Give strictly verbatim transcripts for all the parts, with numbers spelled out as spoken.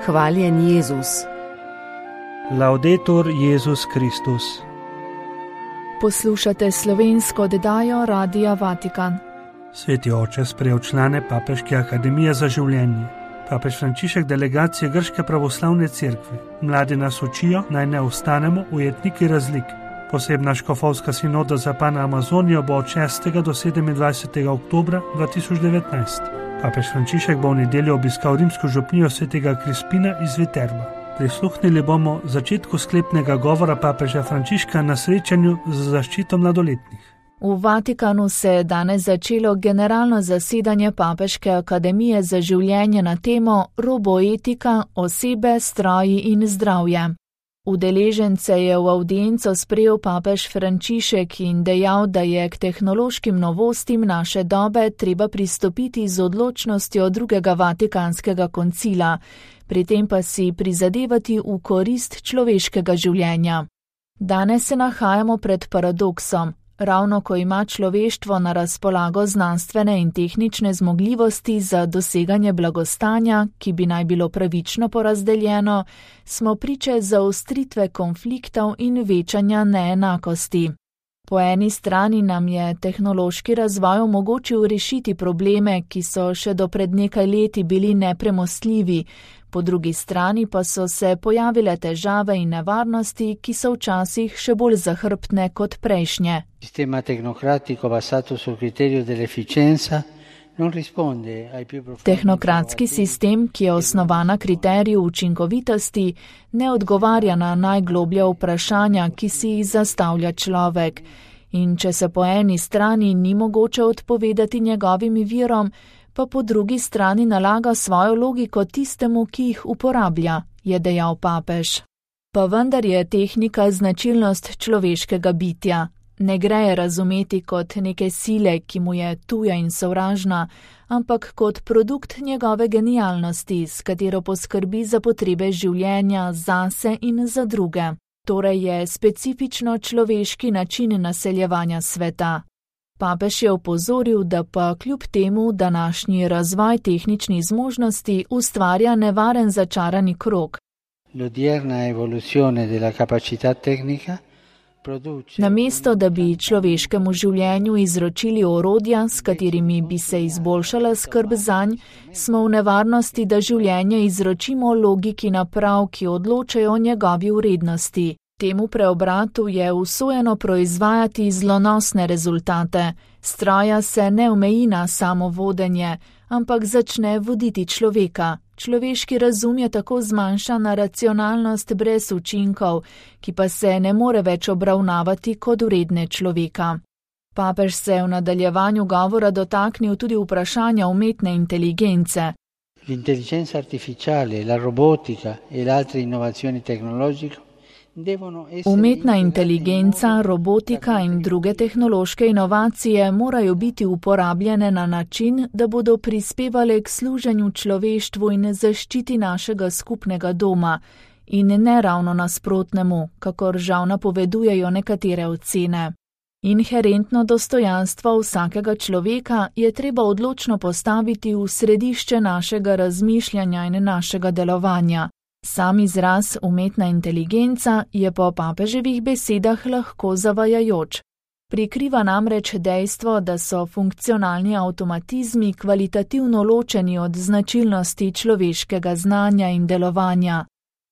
Hvaljen Jezus. Laudetur Jezus Kristus. Poslušate slovensko oddajo Radia Vatikan. Sveti oče sprejel člane Papeške akademije za življenje. Papež Frančišek delegacije Grške pravoslavne cerkve. Mladi nas učijo, naj ne ostanemo ujetniki razlik. Posebna škofovska sinoda za Pana Amazonijo bo od šestega do sedemindvajsetega oktobra dva tisoč devetnajst. Papež Frančišek bo v nedeljo obiskal rimsko župnijo svetega Krispina iz Viterba. Prisluhnili bomo začetku sklepnega govora papeža Frančiška na srečanju za zaščito mladoletnih. V Vatikanu se je danes začelo generalno zasedanje Papeške akademije za življenje na temo roboetika, osebe, stroji in zdravje. Udeležence je v avdienco sprejel papež Frančišek in dejal, da je k tehnološkim novostim naše dobe treba pristopiti z odločnostjo drugega vatikanskega koncila, pri tem pa si prizadevati v korist človeškega življenja. Danes se nahajamo pred paradoksom. Ravno ko ima človeštvo na razpolago znanstvene in tehnične zmogljivosti za doseganje blagostanja, ki bi naj bilo pravično porazdeljeno, smo priče zaostritve konfliktov in večanja neenakosti. Po eni strani nam je tehnološki razvoj omogočil rešiti probleme, ki so še do pred nekaj leti bili nepremostljivi, po drugi strani pa so se pojavile težave in nevarnosti, ki so včasih še bolj zahrbtne kot prejšnje. Sistema tehnokratiko basato sul criterio dell'efficienza non risponde ai più profondi. Tehnokratski sistem, ki je osnovan na kriteriju učinkovitosti, ne odgovarja na najgloblja vprašanja, ki si jih zastavlja človek. In če se po eni strani ni mogoče odpovedati njegovim virom, pa po drugi strani nalaga svojo logiko tistemu, ki jih uporablja, je dejal papež. Pa vendar je tehnika značilnost človeškega bitja. Ne gre je razumeti kot neke sile, ki mu je tuja in sovražna, ampak kot produkt njegove genialnosti, s katero poskrbi za potrebe življenja zase in za druge. Torej je specifično človeški način naseljevanja sveta. Papež je opozoril, da pa kljub temu današnji razvoj tehničnih zmožnosti ustvarja nevaren začarani krog. L'odierna evoluzione della capacità tecnica produce. Namesto, da bi človeškemu življenju izročili orodja, s katerimi bi se izboljšala skrb zanj, smo v nevarnosti, da življenje izročimo logiki naprav, ki odločajo o njegovi vrednosti. Temu preobratu je usojeno proizvajati zlonosne rezultate. Stroja se ne omeji na samo vodenje, ampak začne voditi človeka. Človeški razum je tako zmanjšan na racionalnost brez učinkov, ki pa se ne more več obravnavati kot vredne človeka. Papež se je v nadaljevanju govora dotaknil tudi vprašanja umetne inteligence. L'intelligenza artificiale, la robotica e le altre innovazioni tecnologiche. Umetna inteligenca, robotika in druge tehnološke inovacije morajo biti uporabljene na način, da bodo prispevale k služenju človeštvu in zaščiti našega skupnega doma, in ne ravno nasprotnemu, kakor žal napovedujejo nekatere ocene. Inherentno dostojanstvo vsakega človeka je treba odločno postaviti v središče našega razmišljanja in našega delovanja. Sam izraz umetna inteligenca je po papeževih besedah lahko zavajajoč. Prikriva namreč dejstvo, da so funkcionalni avtomatizmi kvalitativno ločeni od značilnosti človeškega znanja in delovanja.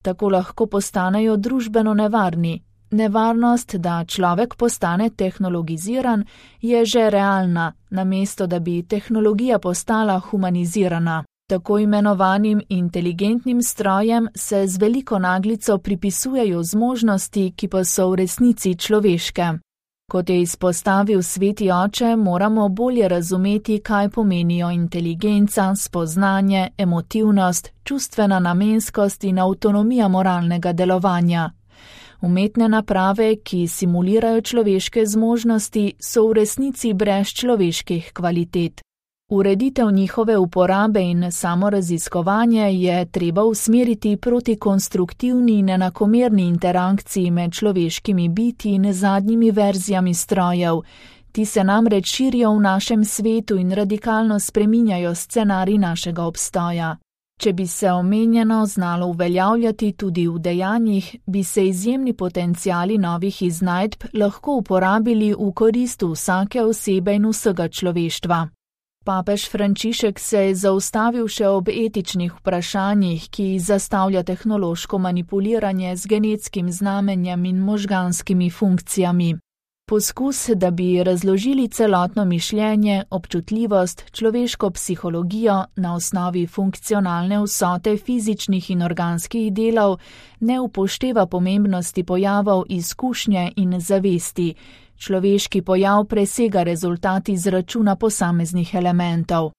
Tako lahko postanejo družbeno nevarni. Nevarnost, da človek postane tehnologiziran, je že realna, namesto da bi tehnologija postala humanizirana. Tako imenovanim inteligentnim strojem se z veliko naglico pripisujejo zmožnosti, ki pa so v resnici človeške. Kot je izpostavil sveti oče, moramo bolje razumeti, kaj pomenijo inteligenca, spoznanje, emotivnost, čustvena namenskost in avtonomija moralnega delovanja. Umetne naprave, ki simulirajo človeške zmožnosti, so v resnici brez človeških kvalitet. Ureditev njihove uporabe in samoraziskovanje je treba usmeriti proti konstruktivni in enakomerni interakciji med človeškimi biti in zadnjimi verzijami strojev. Ti se namreč širijo v našem svetu in radikalno spreminjajo scenarij našega obstoja. Če bi se omenjeno znalo uveljavljati tudi v dejanjih, bi se izjemni potenciali novih iznajdb lahko uporabili v korist vsake osebe in vsega človeštva. Papež Frančišek se je zaustavil še ob etičnih vprašanjih, ki zastavlja tehnološko manipuliranje z genetskim znamenjem in možganskimi funkcijami. Poskus, da bi razložili celotno mišljenje, občutljivost, človeško psihologijo na osnovi funkcionalne vsote fizičnih in organskih delov, ne upošteva pomembnosti pojavov izkušnje in zavesti. Človeški pojav presega rezultat izračuna posameznih elementov.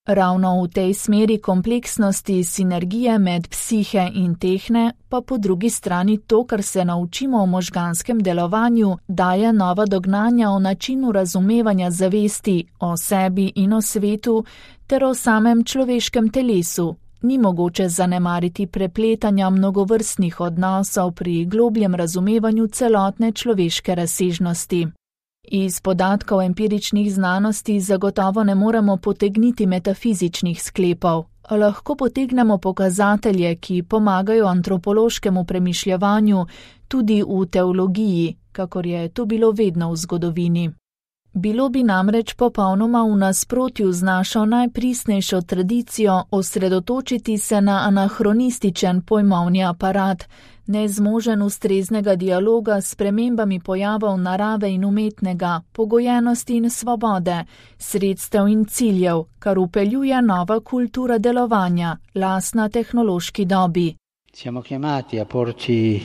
Ravno v tej smeri kompleksnosti sinergije med psihe in tehne, pa po drugi strani to, kar se naučimo o možganskem delovanju, daje nova dognanja o načinu razumevanja zavesti, o sebi in o svetu, ter o samem človeškem telesu. Ni mogoče zanemariti prepletanja mnogovrstnih odnosov pri globljem razumevanju celotne človeške razsežnosti. Iz podatkov empiričnih znanosti zagotovo ne moremo potegniti metafizičnih sklepov, a lahko potegnemo pokazatelje, ki pomagajo antropološkemu premišljevanju tudi v teologiji, kakor je to bilo vedno v zgodovini. Bilo bi namreč popolnoma v nasprotju z našo najpristnejšo tradicijo osredotočiti se na anahronističen pojmovni aparat, nezmožen ustreznega dialoga s spremembami pojavov narave in umetnega, pogojenosti in svobode, sredstev in ciljev, kar upeljuje nova kultura delovanja, lastna tehnološki dobi. Siamo chiamati a porci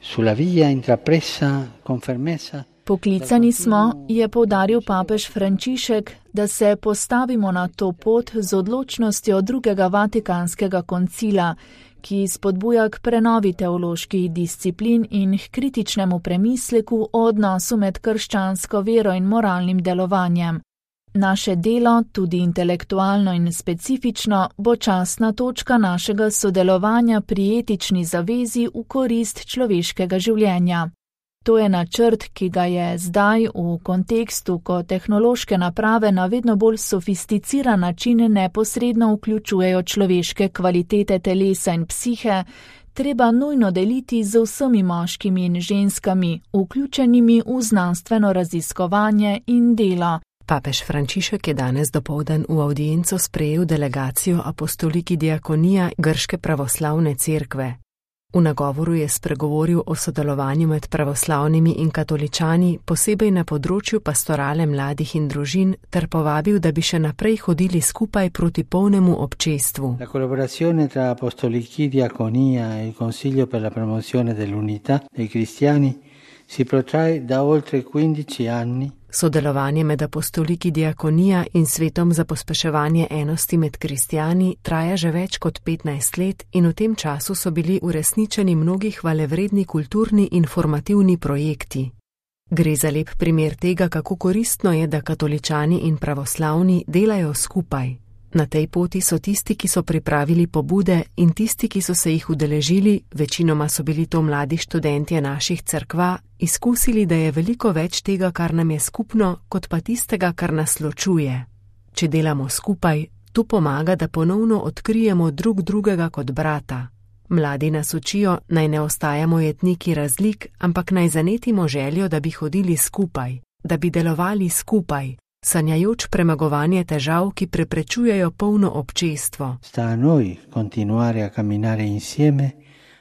sulla via intrapresa con fermezza. Poklicani smo, je poudaril papež Frančišek, da se postavimo na to pot z odločnostjo drugega vatikanskega koncila, ki spodbuja k prenovi teoloških disciplin in k kritičnemu premisleku o odnosu med krščansko vero in moralnim delovanjem. Naše delo, tudi intelektualno in specifično, bo častna točka našega sodelovanja pri etični zavezi v korist človeškega življenja. To je načrt, ki ga je zdaj v kontekstu, ko tehnološke naprave na vedno bolj sofisticiran način neposredno vključujejo človeške kvalitete telesa in psihe, treba nujno deliti z vsemi moškimi in ženskami, vključenimi v znanstveno raziskovanje in delo. Papež Frančišek je danes dopoldan v avdienco sprejel delegacijo Apostoliki Diakonija Grške pravoslavne cerkve. V nagovoru je spregovoril o sodelovanju med pravoslavnimi in katoličani, posebej na področju pastorale mladih in družin, ter povabil, da bi še naprej hodili skupaj proti polnemu občestvu. La collaborazione tra Apostoliki Diaconia e il Consiglio per la promozione dell'unità dei cristiani si protrae da oltre quindici anni. Sodelovanje med apostoliki diakonija in svetom za pospeševanje enosti med kristjani traja že več kot petnajst let in v tem času so bili uresničeni mnogi hvalevredni kulturni in formativni projekti. Gre za lep primer tega, kako koristno je, da katoličani in pravoslavni delajo skupaj. Na tej poti so tisti, ki so pripravili pobude in tisti, ki so se jih udeležili, večinoma so bili to mladi študentje naših cerkva, izkusili, da je veliko več tega, kar nam je skupno, kot pa tistega, kar nas ločuje. Če delamo skupaj, to pomaga, da ponovno odkrijemo drug drugega kot brata. Mladi nas učijo, naj ne ostajamo jetniki razlik, ampak naj zanetimo željo, da bi hodili skupaj, da bi delovali skupaj, sanjajoč premagovanje težav, ki preprečujejo polno občestvo. Sta a noi continuare a camminare insieme,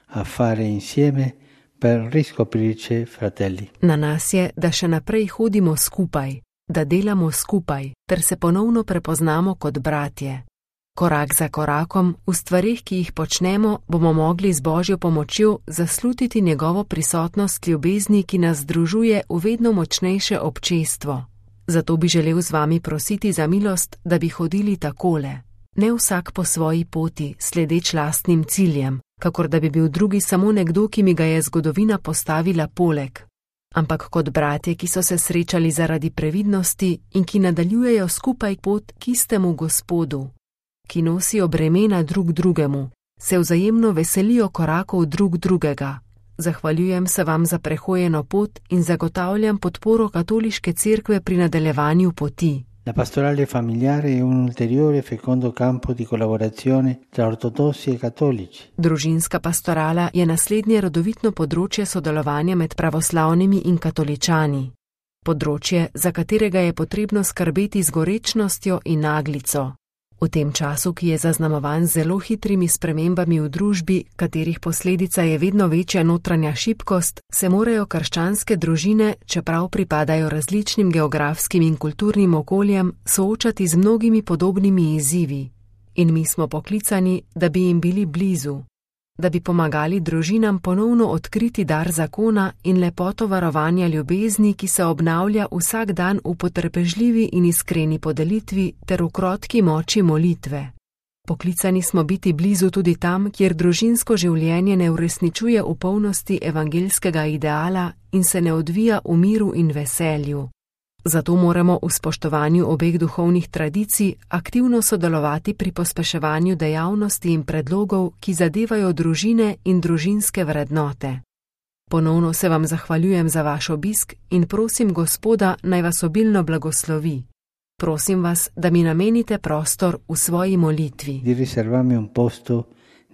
a fare insieme per riscoprirci fratelli. Na nas je, da še naprej hodimo skupaj, da delamo skupaj, ter se ponovno prepoznamo kot bratje. Korak za korakom, v stvarih, ki jih počnemo, bomo mogli z Božjo pomočjo zaslutiti njegovo prisotnost ljubezni, ki nas združuje v vedno močnejše občestvo. Zato bi želel z vami prositi za milost, da bi hodili takole. Ne vsak po svoji poti, sledeč lastnim ciljem, kakor da bi bil drugi samo nekdo, ki mi ga je zgodovina postavila poleg. Ampak kot bratje, ki so se srečali zaradi previdnosti in ki nadaljujejo skupaj pot k istemu Gospodu, ki nosijo bremena drug drugemu, se vzajemno veselijo korakov drug drugega. Zahvaljujem se vam za prehojeno pot in zagotavljam podporo katoliške cerkve pri nadaljevanju poti. La pastorale familiare è un ulteriore fecondo campo di collaborazione tra ortodossi e cattolici. Družinska pastorala je naslednje rodovitno področje sodelovanja med pravoslavnimi in katoličani. Področje, za katerega je potrebno skrbeti z gorečnostjo in naglico. V tem času, ki je zaznamovan z zelo hitrimi spremembami v družbi, katerih posledica je vedno večja notranja šibkost, se morajo krščanske družine, čeprav pripadajo različnim geografskim in kulturnim okoljem, soočati z mnogimi podobnimi izzivi. In mi smo poklicani, da bi jim bili blizu, da bi pomagali družinam ponovno odkriti dar zakona in lepoto varovanja ljubezni, ki se obnavlja vsak dan v potrpežljivi in iskreni podelitvi ter v krotki moči molitve. Poklicani smo biti blizu tudi tam, kjer družinsko življenje ne uresničuje v polnosti evangeljskega ideala in se ne odvija v miru in veselju. Zato moramo v spoštovanju obeh duhovnih tradicij aktivno sodelovati pri pospeševanju dejavnosti in predlogov, ki zadevajo družine in družinske vrednote. Ponovno se vam zahvaljujem za vaš obisk in prosim Gospoda, naj vas obilno blagoslovi. Prosim vas, da mi namenite prostor v svoji molitvi. Di riservarmi un posto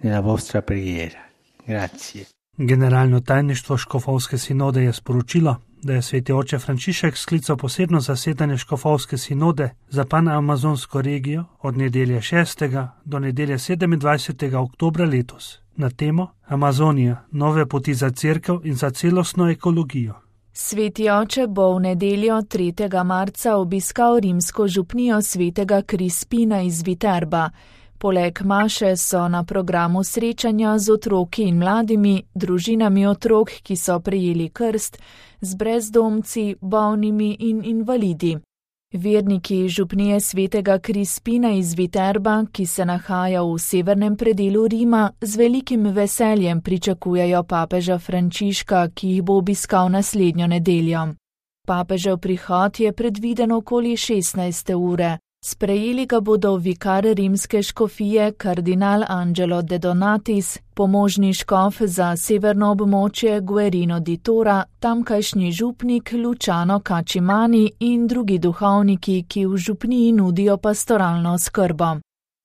nella vostra preghiera. Grazie. Generalno tajništvo Škofovske sinode je sporočilo, da je sveti oče Frančišek sklical posebno zasedanje Škofovske sinode za panamazonsko regijo od nedelje šestega do nedelje sedemindvajsetega oktobra letos na temo Amazonija, nove poti za cerkev in za celostno ekologijo. Sveti oče bo v nedeljo tretjega marca obiskal rimsko župnijo svetega Krispina iz Viterba. Poleg maše so na programu srečanja z otroki in mladimi, družinami otrok, ki so prejeli krst, z brezdomci, bolnimi in invalidi. Verniki župnije svetega Krispina iz Viterba, ki se nahaja v severnem predelu Rima, z velikim veseljem pričakujejo papeža Frančiška, ki jih bo obiskal naslednjo nedeljo. Papežev prihod je predviden okoli šestnajste ure. Sprejeli ga bodo vikar rimske škofije kardinal Angelo de Donatis, pomožni škof za severno območje Guerino di Tora, tamkajšnji župnik Luciano Cacimani in drugi duhovniki, ki v župniji nudijo pastoralno skrbo.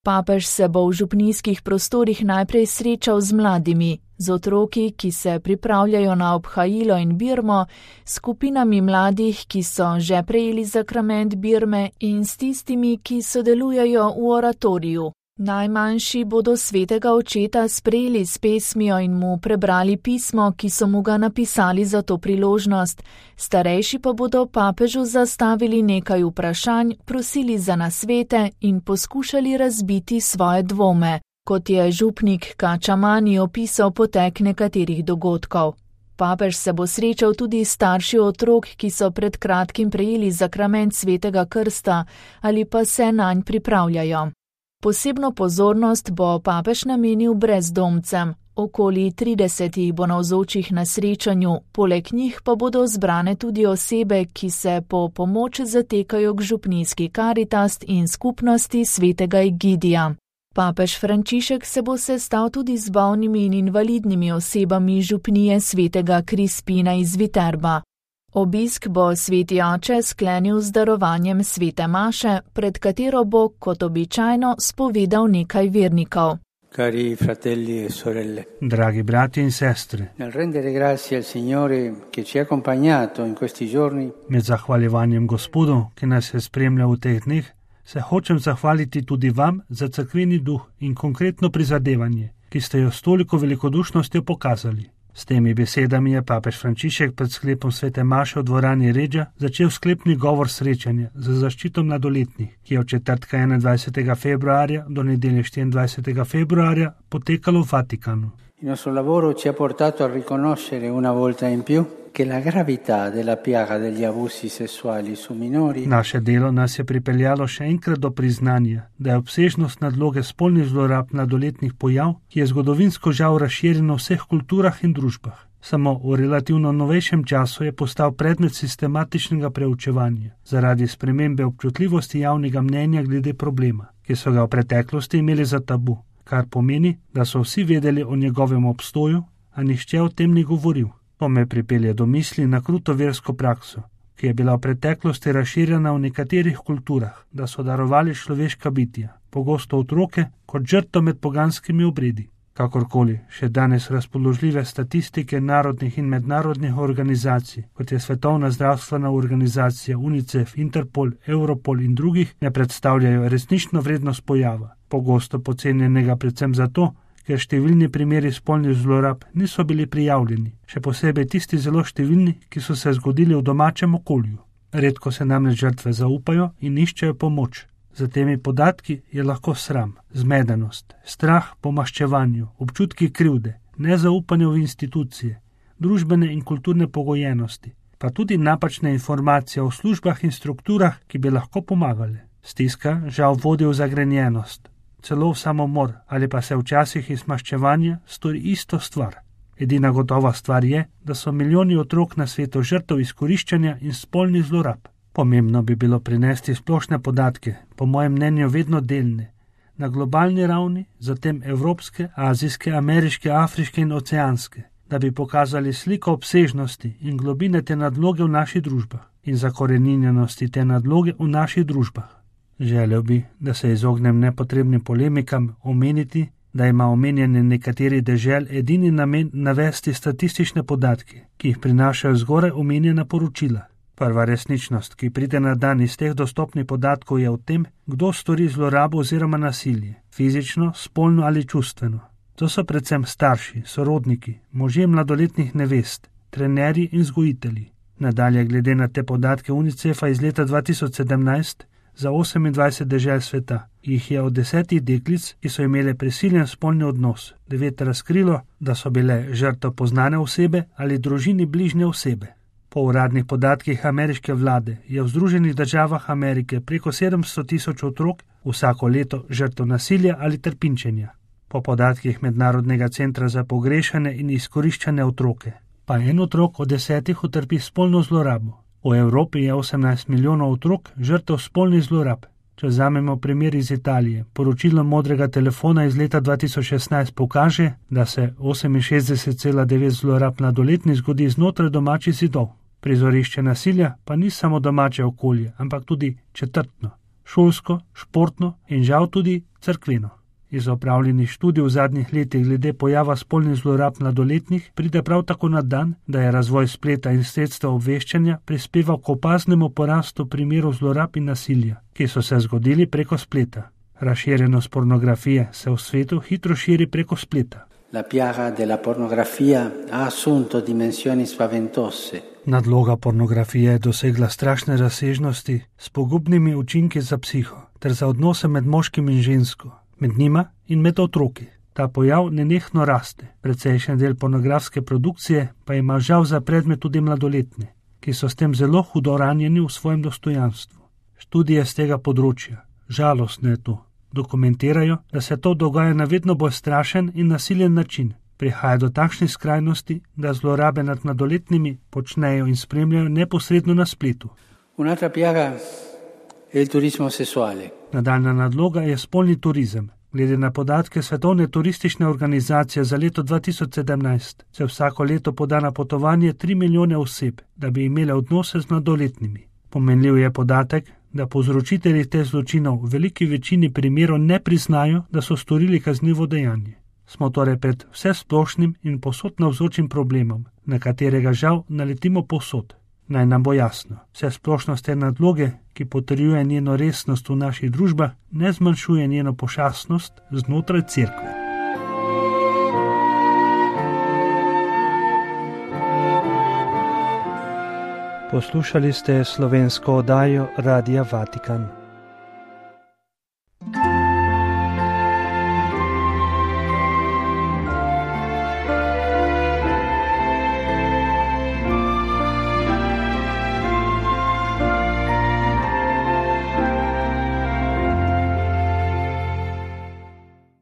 Papež se bo v župnijskih prostorih najprej srečal z mladimi, z otroki, ki se pripravljajo na obhajilo in birmo, skupinami mladih, ki so že prejeli zakrament birme in s tistimi, ki sodelujejo v oratoriju. Najmanjši bodo svetega očeta sprejeli s pesmijo in mu prebrali pismo, ki so mu ga napisali za to priložnost. Starejši pa bodo papežu zastavili nekaj vprašanj, prosili za nasvete in poskušali razbiti svoje dvome, kot je župnik Cacimani opisal potek nekaterih dogodkov. Papež se bo srečal tudi s starši otrok, ki so pred kratkim prejeli zakrament svetega krsta ali pa se nanj pripravljajo. Posebno pozornost bo papež namenil brezdomcem, okoli trideset jih bo navzočih na srečanju, poleg njih pa bodo zbrane tudi osebe, ki se po pomoč zatekajo k župnijski Karitas in skupnosti svetega Egidija. Papež Frančišek se bo sestal tudi z bolnimi in invalidnimi osebami župnije svetega Krispina iz Viterba. Obisk bo sveti oče sklenil z darovanjem svete maše, pred katero bo, kot običajno, spovedal nekaj vernikov. Cari fratelli e sorelle. Dragi brati in sestre. Nel rendere grazie al Signore che ci ha accompagnato in questi giorni. Med zahvaljevanjem Gospodu, ki nas je spremljal v teh dneh, se hočem zahvaliti tudi vam za cerkveni duh in konkretno prizadevanje, ki ste jo s toliko velikodušnostjo pokazali. S temi besedami je papež Frančišek pred sklepom svete maše v dvorani Ređa začel sklepni govor srečanja za zaščito mladoletnih, ki je od četrtka enaindvajsetega februarja do nedelje štiriindvajsetega februarja potekalo v Vatikanu. Il nostro lavoro ci ha portato a riconoscere una volta in più che la gravità della piaga degli abusi sessuali su minori. Naše delo nas je pripeljalo še enkrat do priznanja, da je obsežnost nadloge spolnih zlorab mladoletnih pojav, ki je zgodovinsko žal razširjeno v vseh kulturah in družbah. Samo v relativno novejšem času je postal predmet sistematičnega preučevanja zaradi spremembe občutljivosti javnega mnenja glede problema, ki so ga v preteklosti imeli za tabu, kar pomeni, da so vsi vedeli o njegovem obstoju, a nihče o tem ni govoril. To me pripelje do misli na kruto versko prakso, ki je bila v preteklosti razširjena v nekaterih kulturah, da so darovali človeška bitja, pogosto otroke, kot žrtev med poganskimi obredi. Kakorkoli, še danes razpoložljive statistike narodnih in mednarodnih organizacij, kot je Svetovna zdravstvena organizacija, UNICEF, Interpol, Europol in drugih, ne predstavljajo resnično vrednost pojava, pogosto podcenjenega predvsem zato, ker številni primeri spolnih zlorab niso bili prijavljeni, še posebej tisti zelo številni, ki so se zgodili v domačem okolju. Redko se namreč žrtve zaupajo in iščejo pomoč. Za temi podatki je lahko sram, zmedenost, strah po maščevanju, občutki krivde, nezaupanje v institucije, družbene in kulturne pogojenosti, pa tudi napačne informacije o službah in strukturah, ki bi lahko pomagale. Stiska žal vodi v zagrenjenost, celo v samomor ali pa se včasih iz maščevanja stori isto stvar. Edina gotova stvar je, da so milijoni otrok na svetu žrtev izkoriščanja in spolnih zlorab. Pomembno bi bilo prinesti splošne podatke, po mojem mnenju vedno delne, na globalni ravni, zatem evropske, azijske, ameriške, afriške in oceanske, da bi pokazali sliko obsežnosti in globine te nadloge v naših družbah in zakoreninjenosti te nadloge v naših družbah. Želel bi, da se izognem nepotrebnim polemikam, omeniti, da ima omenjanje nekaterih dežel edini namen navesti statistične podatke, ki jih prinašajo zgoraj omenjena poročila. Prva resničnost, ki pride na dan iz teh dostopnih podatkov, je v tem, kdo stori zlorabo oziroma nasilje, fizično, spolno ali čustveno. To so predvsem starši, sorodniki, možje mladoletnih nevest, trenerji in vzgojitelji. Nadalje, glede na te podatke UNICEF-a iz leta dva tisoč sedemnajst, za osemindvajset dežel sveta, jih je od desetih deklic, ki so imele prisiljen spolni odnos, devet razkrilo, da so bile žrtev poznane osebe ali družini bližnje osebe. Po uradnih podatkih ameriške vlade je v Združenih državah Amerike preko sedemsto tisoč otrok vsako leto žrtev nasilja ali trpinčenja. Po podatkih Mednarodnega centra za pogrešane in izkoriščane otroke, pa en otrok od desetih utrpi spolno zlorabo. V Evropi je osemnajst milijonov otrok žrtev spolnih zlorab. Če vzamemo primer iz Italije, poročilo modrega telefona iz leta dva tisoč šestnajst pokaže, da se oseminšestdeset cela devet zlorab mladoletnih zgodi znotraj domačih zidov. Prizorišče nasilja pa ni samo domače okolje, ampak tudi četrtno, šolsko, športno in žal tudi cerkveno. Iz opravljenih študij v zadnjih letih glede pojava spolnih zlorab mladoletnih pride prav tako na dan, da je razvoj spleta in sredstva obveščanja prispeval k opaznemu porastu primerov zlorab in nasilja, ki so se zgodili preko spleta. Razširjenost pornografije se v svetu hitro širi preko spleta. La piaga della pornografia ha assunto dimensioni spaventose. Nadloga pornografije je dosegla strašne razsežnosti s pogubnimi učinki za psiho ter za odnose med moškim in žensko, med njima in med otroki. Ta pojav nenehno raste. Precejšen del pornografske produkcije pa ima žal za predmet tudi mladoletne, ki so s tem zelo hudo ranjeni v svojem dostojanstvu. Študije z tega področja, žalostno je to, dokumentirajo, da se to dogaja na vedno bolj strašen in nasilen način. Prihaja do takšnih skrajnosti, da zlorabe nad mladoletnimi počnejo in spremljajo neposredno na spletu. Un'altra piaga è il turismo sessuale. Nadaljna nadloga je spolni turizem. Glede na podatke Svetovne turistične organizacije za leto dva tisoč sedemnajst se vsako leto poda na potovanje tri milijone oseb, da bi imele odnose z mladoletnimi. Pomenljiv je podatek, da povzročitelji teh zločinov v veliki večini primerov ne priznajo, da so storili kaznivo dejanje. Smo torej pred vsesplošnim in povsod navzočim problemom, na katerega žal naletimo povsod. Naj nam bo jasno, vsesplošnost te nadloge, ki potrjuje njeno resnost v naših družbah, ne zmanjšuje njeno pošastnost znotraj cerkve. Poslušali ste slovensko oddajo Radia Vatikan.